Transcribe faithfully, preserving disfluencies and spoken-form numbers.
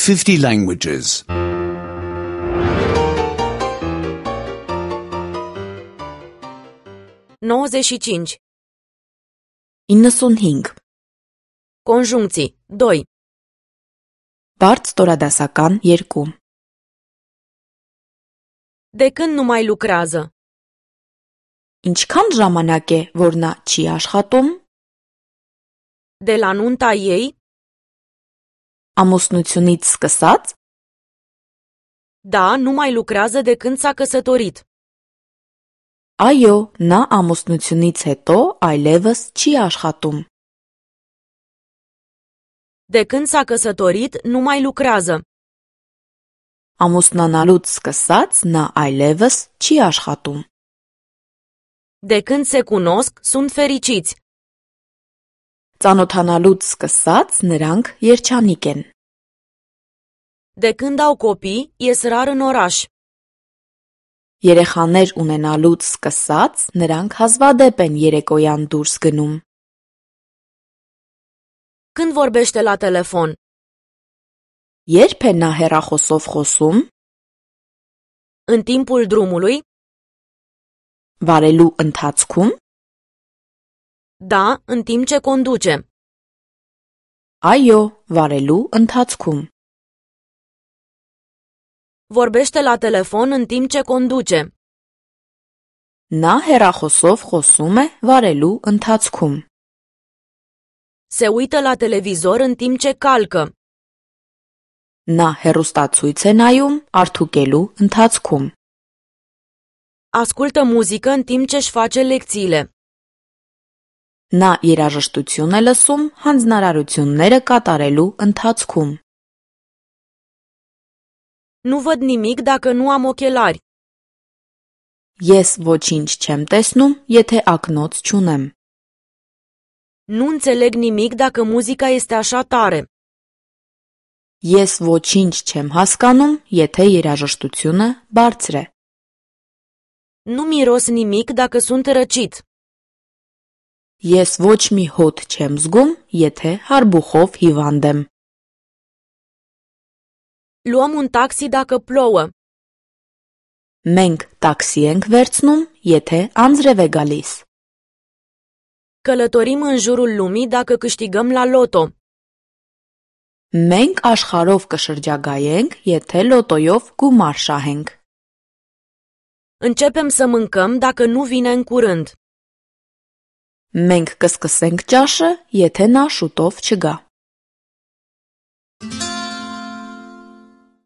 fifty languages. nouăzeci și cinci. իննսունհինգ. Conjuncții. doi. Բարդ ստորադասական երկու. De când nu mai lucrează? Ինչքան ժամանակ է, որ նա չի աշխատում? De la nunta ei? Ամուսնությունից սկսած? Da, nu mai lucrează de când s-a căsătorit. Այո, նա ամուսնությունից հետո այլևս չի աշխատում. De când s-a căsătorit, nu mai lucrează. Ամուսնանալուց սկսած նա այլևս չի աշխատում. De când se cunosc, sunt fericiți. Ծանոթանալուց սկսած նրանք երջանիկ են. De când au copii, ies rar în oraș. Երեխաներ ունենալուց սկսած նրանք հազվադեպ են երեկոյան դուրս գնում. Când vorbește la telefon? Երբ է նա հեռախոսով խոսում? În timpul drumului? Վարելու ընթացքում? Da, în timp ce conduce. Այո, վարելու ընթացքում. Vorbește la telefon în timp ce conduce. Նա հեռախոսով խոսում է վարելու ընթացքում. Se uită la televizor în timp ce calcă. Նա հեռուստացույց է նայում արդուկելու ընթացքում. Ascultă muzică în timp ce își face lecțiile. Նա երաժշտություն է լսում հանձնարարությունները կատարելու ընթացքում. Nu văd nimic dacă nu am ochelari. Ես ոչինչ չեմ տեսնում, եթե ակնոց չունեմ. Nu înțeleg nimic dacă muzica este așa tare. Ես ոչինչ չեմ հասկանում, եթե երաժշտությունը բարձր է. Nu miros nimic dacă sunt răcit. Ես ոչ մի հոտ չեմ զգում, եթե հարբուխով հիվանդ եմ. Luăm un taxi dacă plouă. Մենք տաքսի ենք վերցնում, եթե անձրև է գալիս. Călătorim în jurul lumii dacă câștigăm la loto. Մենք աշխարհով կշրջագայենք, եթե լոտոյով գումար շահենք. Începem să mâncăm dacă nu vine în curând. Մենք կսկսենք ճաշը, եթե նա շուտով չգա.